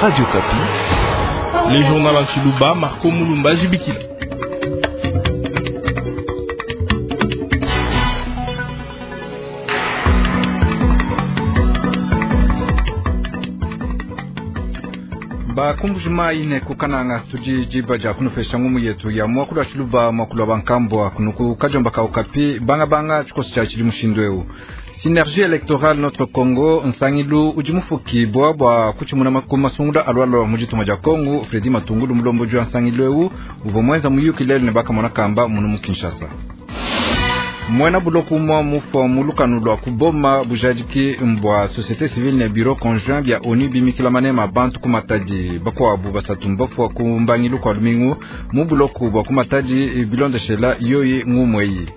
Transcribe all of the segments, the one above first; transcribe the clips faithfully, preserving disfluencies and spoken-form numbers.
Radio Okapi. Le journal en Tshiluba, Marco Mulumba Jibikila. Bakumbuji mai ne kukananga tudi diba dia kunufesha ngumu yetu ya muakulu wa Tshiluba, muakulu wa bankambua kunuku kajomba ka Okapi banga banga tshikoso tshia tshidi mushindu eu. Synergie électorale Notre Congo nsangilu udi mufukibua bua kutshimuna ku masungula alualua mu ditunga dia Congo. Fredi Matungulu mulombodi wa nsangilu eu uvua muenza muyuki lelu ne bakamona kamba munu mu Kinshasa. Muena buloko umua mufua mu lukanu lua kuboma bujadiki mbua société civile ne bureau conjoint bia ONU bimikila manema bantu ku Matadi. Bakuabu basatu mbafua ku mbangilu kua lumingu mu buloko bua ku Matadi bilondeshela yoyi ngumweyi.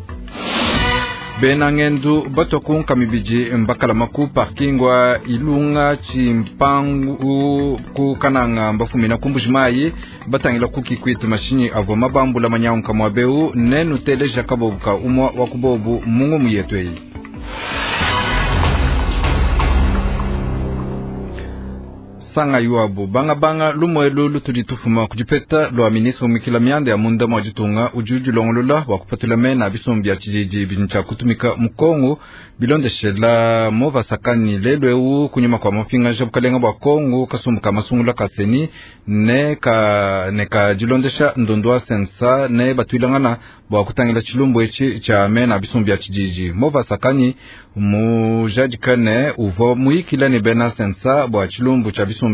Bena ngendu batua ku nkamibidi mbakalama ku parking wa Ilunga Tshimpangu ku Kananga mbafumina ku Mbuji-Mayi batangila ku Kikwit mashinyi avua mabambula manyanguka muabeu nenu teleja kabobu ka umua wa kubobu mungu muyetu eyi. Sanga yuabu banga banga lumuelu lutudi tufuma kudipeta lua ministre mukila mianda ya munda mwa ditunga udi udilongolola bua kupatula mena bisumbu bia tshididi bidi tshia kutumika mu Kongo bilondeshela mova sakani lelu eu kunyuma kua mapingaja bukalenga bua Kongo kasumbu ka masungula ka seni ne ka ne ka dilondesha ndondo wa sensa ne batuilangana bua kutangila tshilumbu etshi tshia mena bisumbu bia tshididi. Mova sakani mujadika ne uvua muyikila ne bena sensa bua tshilumbu tshia bisumbu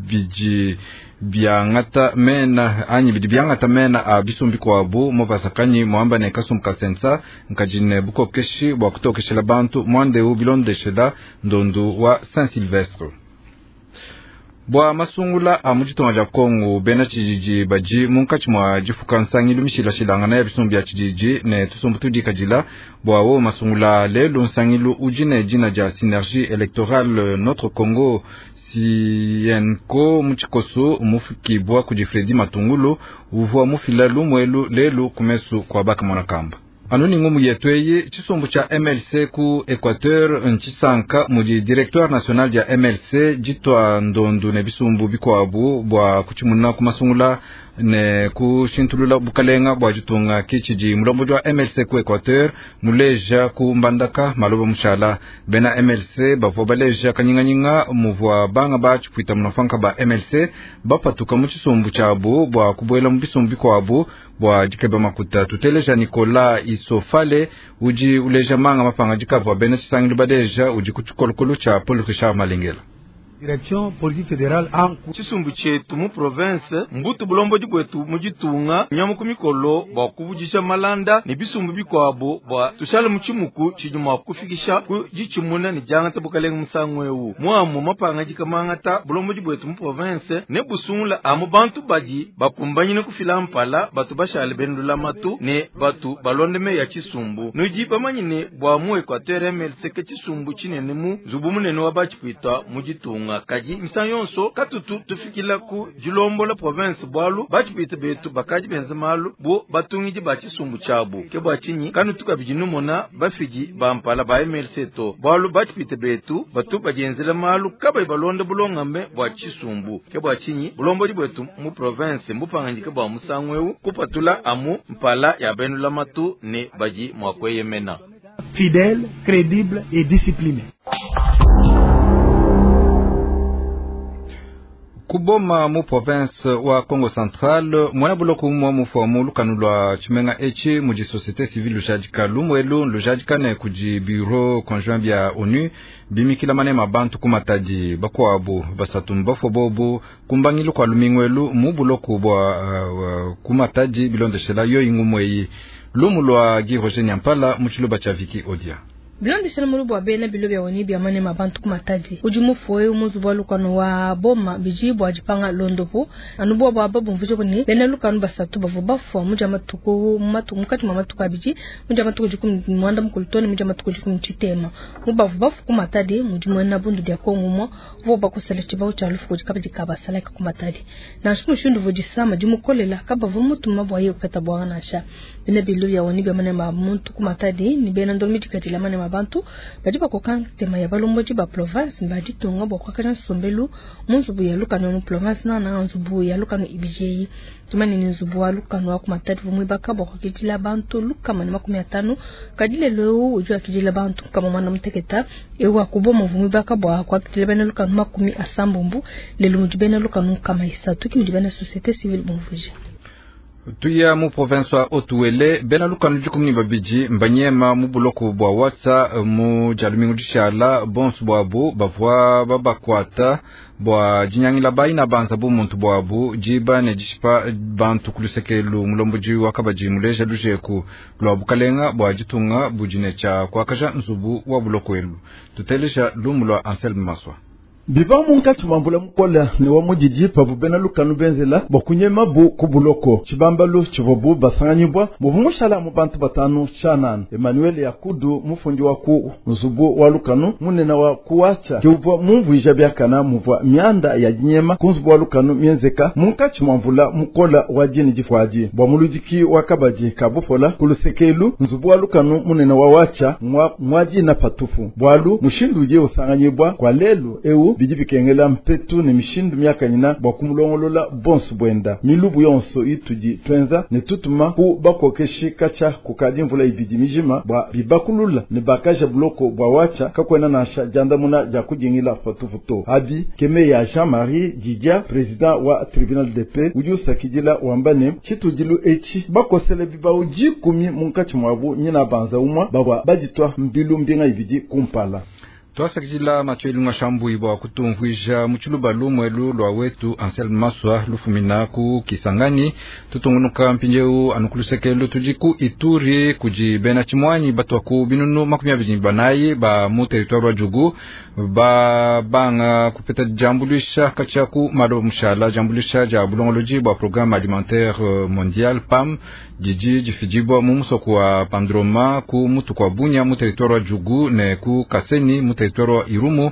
bidi biangata mena anyi bidi biangata mena a bisumbu bikuabu. Mova sakanyi muamba ne kasumbu ka sensa nkadi ne bukokeshi bua kutokeshela bantu muandeu bilondeshela ndondu wa Saint Sylvestre. Bua masungula a mu ditunga dia Kongo bena tshididi badi munkatshi mua difuka nsangilu mishilashilangana ya bisumbu bia tshididi ne tusumbu tudikadila bua wo masungula lelu nsangilu udi ne dina dia Synergie électorale Notre Congo Sienko mu tshikoso mufukibua kudi Fredi Matungulu uvua mufila lumuelu lelu kumesu kua bakamona kamba. Anu ni ngumu yetu eyi tshisumbu tshia M L C ku Equateur ntshisanka mudi directoire national dia M L C ditua ndondu ne bisumbu bikuabu bua kutshimuna ku masungula ne kushintulula bukalenga bua ditunga. Kitshidi mulombodi wa M L C ku Equateur muleja ku Mbandaka maloba mushala. Bena M L C bavua baleja kanyinganyinga muvua banga ba tshipuita munafanka ba M L C bapatuka mu tshisumbu tshiabu bua kubuela mu bisumbu bikuabu bua dikeba makuta. Tuteleja Nicolas Isofale udi uleja manga mapanga dikavua bena tshisangilu baleja udi ku tshikolokolo tshia Paul Richard Malengela. Direction politique fédérale en tshisumbu tshietu mu province mbutu bulombodi bwetu mu ditunga nyamu ku mikolo bua kuvudisha malanda ne bisumbu bikuabu bua tushale mu tshimuku tshidi mua kufikisha ku ditshimuna ne diangata bukalenga musangu eu. Muamu mapanga dikamangata bulombodi bwetu mu province ne busungula amu bantu badi bakumbanyine kufila mpala batu bashale bendulamatu ne batu balonde ya tshisumbu. Nudi bamanyine bua mu Equateur M L C ke tshisumbu tshinene mu nzubu munene wa batshipwita mu ditunga. Kadi misangu yonso katutu tufikila ku dilombola province bwalu batshipwita betu bakadi benza malu bo batungidi ba tshisumbu tshiabu. Ke bua tshinyi kanutu kabidi numona bafidi ba mpala ba M L C to bwalu batshipwita betu batu badienzela malu kabayi balonda bulongambe bua tshisumbu. Ke bua tshinyi bulombodi bwetu mu province mbupanganyike bua musangu eu kupatula amu mpala ya benulamatu ne badi mua kueyemena. Fidèle, crédible et discipliné. Kuboma mu province wa Congo Central mwana buloko umwa mufua mu lukanu lua tshimenga etshi mudi société civile lujadika lumuelu lujadika ne kudi bureau conjoint bia ONU bimikila manema bantu ku Matadi. Bakuabu basatu mbafua bobu kumbangilu kua lumingwelu mu buloko bua uh, ku Matadi bilondeshela yoyi ngumweyi. Lumu lua Guy Roger Nyampala mu tshiluba tshia Viki Odia. Bilondeshela mulu bua bena bilo bia ONU bia manema bantu ku Matadi udi mufue muzu wa lukanu wa boma biji bua dipanga londopo anu bua bua babumvuje kuni bena lukanu basatu bavua bafua mu dia matuku mu matuku mukati mwa matuku abidi mu dia matuku dikumi mwanda mukulu tone mu dia matuku dikumi tshitema mu bavua bafua ku Matadi mudi muena bundu dia Kongo mwa uvua bakosela tshibau tshia lufu kudi kabidi kabasalaka ku Matadi nansha mushindu uvua disama dimukolela kabavua mutuma bua ye kupeta bwanga nansha bena bilo bia ONU bia manema muntu ku Matadi ni bena ndomi dikadila manema manema bantu badi bakoka ntema ya balombodi ba province ba ditunga bua kuakaja nsombelu mu nzubu ya lukanu mu province nana nzubu ya lukanu ibidi tumane ni nzubu wa lukanu wa ku Matadi vumwibaka bua kuakidila bantu lukama ne makumi atanu kadi lelo udi wakidila bantu kama mwana muteketa ewa kuboma vumwibaka bua kuakidila bena lukanu makumi asambombo lelo mudi bena lukanu kama isatu ki mudi bena société civile bumvuija. Tuya mu province wa Haut-Uele bena lukanu dikumi ne babidi mbanyema mu buloko bua Watsa mu dia lumingu dishala bonso bwabu bavua babakwata bua dinyangila bayina banza bu muntu bwabu diba ne dishipa bantu kulusekelu mulombodi wa kabadi muleja lujeku lwa bukalenga bua ditunga budine tshia kuakaja nzubu wa buloko elu. Tuteleja lumu lwa Anselme Maswa. Biva munkatshi mua mvula mukole ne wa mudidi pavua bena lukanu benzela bua kunyema bu ku buloko tshibambalu tshivua bu basanganyibwa muvua mushala mu bantu batanu tshianana. Emmanuel Yakudu mufundi wa ku nzubu wa lukanu munene wa kuwacha ke uvua mumvuija biakana muvua mianda ya dinyema ku nzubu wa lukanu mienzeka munkatshi mua mvula mukole wa dini difuadi bua muludiki wa kabadi ka bupola ku lusekelu nzubu wa lukanu munene wa wacha mwa dina patupu bwalu mushindu udiye usanganyibwa kwa lelu eu bidi bikengela mpetu ne mishindu miakanyina bua kumulongolola bonso bwenda milubu yonso itudi twenza ne tutuma ku bakokeshi kacha kukadi mvula ibidi mijima bua bibakulula ne bakaja buloko bua wacha kakwena nansha jandamuna ja kujingila patupu abi keme ya Jean-Marie Didia président wa tribunal de paix udi usakidila wamba ne chitudilu echi bakosele bibau dikumi munkatshi mwabu nyina banza umwa babwa baditwa mbilu mbinga ibidi kumpala. Twasakidila Mathieu Ilunga Shambui bua kutumvuija mu tshiluba lumwelu lwa wetu Anselme Maswa lufumina ku Kisangani. Tutungunuka mpindieu anu ku lusekelu tudi ku Ituri kudi bena tshimwanyi batwa ku binunu makumi abidi banayi ba mu territoire wa Djugu ba banga kupeta jambuluisha katshia ku malo mushala jambuluisha ja bulongolodi bua programme alimentaire mondial PAM didi difidibwa mu musoko wa Pandroma ku mutu kwa Bunya mu territoire wa Djugu ne ku Kaseni mu territoire wa Irumu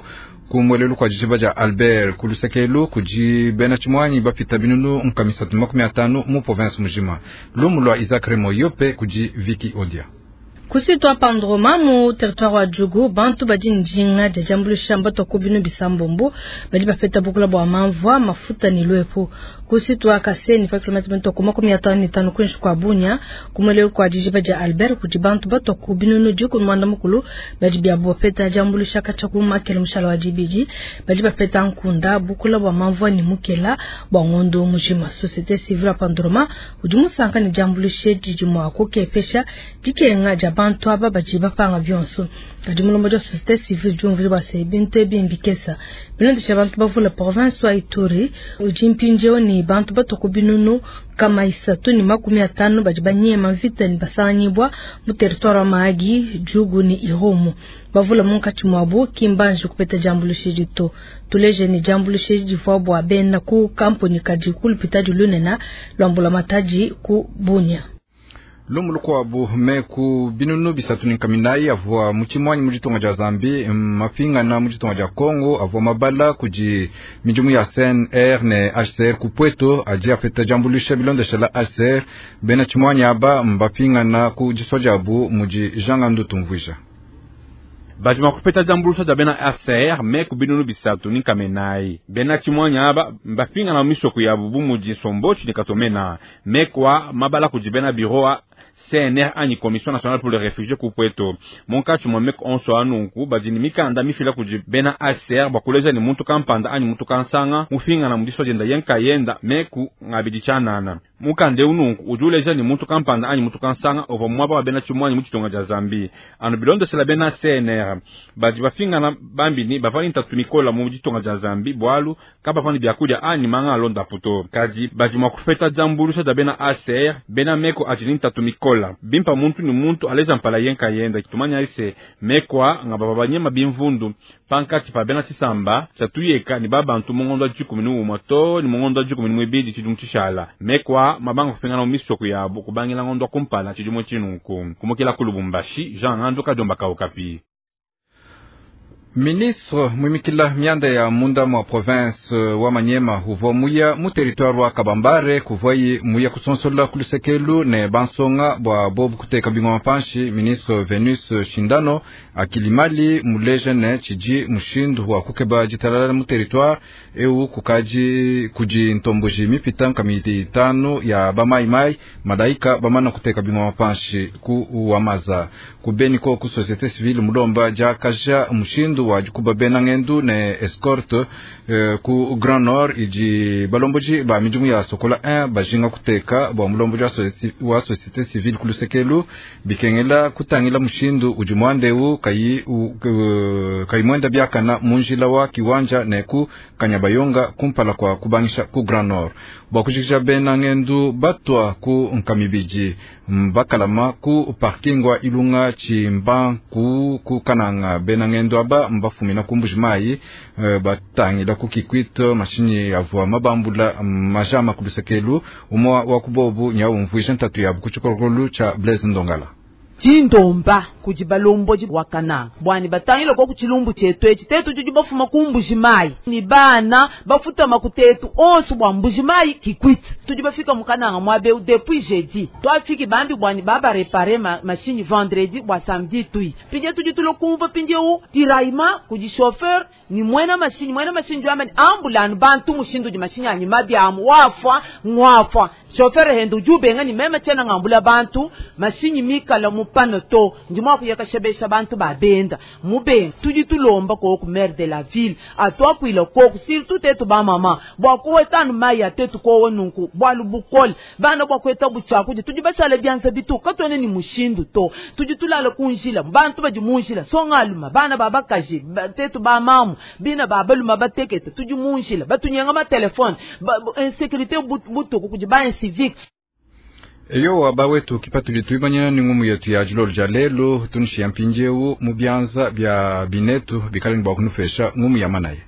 ku mwelelu kwa dijiba dia Albert ku lusekelu kudi bena tshimwanyi bapita binunu nkamisatu makumi atanu mu province mujima. Lumu lwa Isaac Remo Yope kudi Viki Odia. Kusitwa Pandroma mu territoire wa Djugu bantu badi njinga dia jambuluisha mbato ku binu bisambombo badi bapeta bukula bua mamvua mafuta ni lwepo. Kusitwa Kaseni pa kilomita mitoko makumi atanu ni tano kunshi kwa Bunya kumwelelu kwa dijiba dia Albert kudi bantu bato ku binunu dikumi mwanda mukulu badi bia bapeta jambuluisha katshia ku makele mushala wa dibidi badi bapeta nkunda bukula bua mamvua ni mukela bua ngondo mujima. Société civile Pandroma udi musanka ne jambuluisha didi mua kukepesha dikenga dia bantu aba badi bapanga bionso. Kadi mulombo dia société civile diumvuija bua se bintu ebi mbikesa bilondesha bantu bavula province wa Ituri udi mpindieu ni bantu batoko binunu kama isatu ni makumi atanu badi banyema mvita ni basanganyibwa mu territoire wa Mahagi, Djugu ni Irumu. Bavula munkatshi mwabu kimbanji kupeta jambuluisha dito. Tuleje ni jambuluisha divua bua bena ku kampuni kadi kulupita dilunena lwambula mataji ku Bunya. Lumu lukuabu meku binunu bisatu ni nkaminayi avua mu tshimwanyi mu ditunga dia Zambie mapingana mu ditunga dia Congo avua mabala kudi midimu ya C N R ne H C R ku Pweto adi apeta jambuluisha bilondeshela H C R bena tshimwanyi aba mbapingana ku disua diabu mudi Jean Tumvuija. Bajima kupeta jambuluisha dia bena H C R meku binunu bisatu ni nkamenayi bena tshimwanyi aba mbapingana mu misoko yabu bu mudi Sombochi ni Katomena mekwa mabala kudi bena bureau a C N R anyi Commission Nationale pour les Réfugiés ku Pweto munkatshi mwa meko onso anunku badi ni mikanda mifila kudi bena H C R bakuleja ni muntu kampanda anyi muntu kansanga mufingana mu disua dienda yenkayenda meku ngabidi tshianana mukanda eu nunku udi uleja ni muntu kampanda anyi muntu kansanga uvua muaba wa bena tshimwanyi mu tshitonga dia Zambie anu bilondeshela bena C N R badi bafingana bambini bavua ni ntatu mikola mu ditonga dia Zambie bwalu kabavua ni biakudia anyi manga alonda puto kadi badi mua kufeta jambuluisha dia bena H C R bena meko adi ni ntatu mikola bimpa muntu ni muntu aleja mpala yenka yenda tumanya ise mekwa nga baba banyema bimvundu pankatshi pa bena tshisamba tshatuyeka ni babantu mungondo dikumi ni umwe to ni mungondo dikumi ni mwibidi tshidimu tshishala mekwa mabanga kupingana mu misoko yabo kubangila ngondo kumpala tshidimu tshinunku kumukila ku Lubumbashi Jean Ngandu Kadiomba Okapi. Ministre mwimikila mianda ya munda mwa province wa Manyema uvua muya mu territoire wa Kabambare kuvuayi muya kusonsola kulusekelu ne bansonga bua bobu kuteka bingoma panshi. Ministre Venus Shindano akilimali muleja ne tshidi mushindu wa kukeba ditalala mu territoire eu kukaji kudi ntomboji mipita nkamiti itanu ya bamaimai malaika bamana kuteka bingoma panshi ku wamaza kubeni ko ku société civile mulomba jakaja mushindu wa dikuba bena ngendu ne escorte eh, ku Grand Nord idi balomboji ba midimu ya Sokola un bajinga kuteka bua mulomboji wa société civile kulusekelu bikengela kutangila mushindu udi muandeu kayi uh, kayi mwenda biakana munjila wa kiwanja ne ku Kanyabayonga kumpala kwa kubangisha ku Grand Nord bua kujikija bena ngendu batwa ku nkamibiji mbakalama ku parking wa Ilunga chimba ku ku kananga bena ngendu aba mbafumina kumbuji mai uh, batangila ku Kikwit mashinyi avua mabambula majama kulusekelu umwa wa kubobu nyaumvuisha ntatu yabu kuchikolokolu cha Blaise Ndongala Chindomba kudi balomboji wakana bwani batangila ko kuchilumbu chetu echi tetu juju bafuma kumbuji mai ni bana bafuta makutetu onso bwa mbuji mai Kikwit tuju bafika mukananga mwabe depuis jeudi twafiki bambi bwani baba réparer ma machine vendredi bwa samedi tui pije tuju tulokumva pinje u tiraima kudi chauffeur ni mwena machine mwena machine jwamani ambulance bantu mushindu di machine anyi mabyamu wafwa ngwafwa chauffeur hendo jubenga ni mema chena ngambula bantu machine mikala mupano to ndimo kuyakashebesha bantu babenda mube tudi tulomba ko ku maire de la ville atwakwila ko surtout tetu ba mama bwa kuwetanu maya tetu ko nunku bwa lubukol bana bwa kweta buchaku tudi bashala byanza bitu katone ni mushindu to tudi tulala kunjila bantu baji munjila songaluma bana babakaji tetu ba mamu bina babaluma batekete tudi munjila batunyenga ma telefone ba, insécurité butuku kudi ba civique. Eyo abawetu kipatuli tuimanya ni ngumu yetu ya jilolo ja lelo tunishia mpinjeu mu byanza bya binetu bikale ni bwa kunufesha ngumu ya manaye.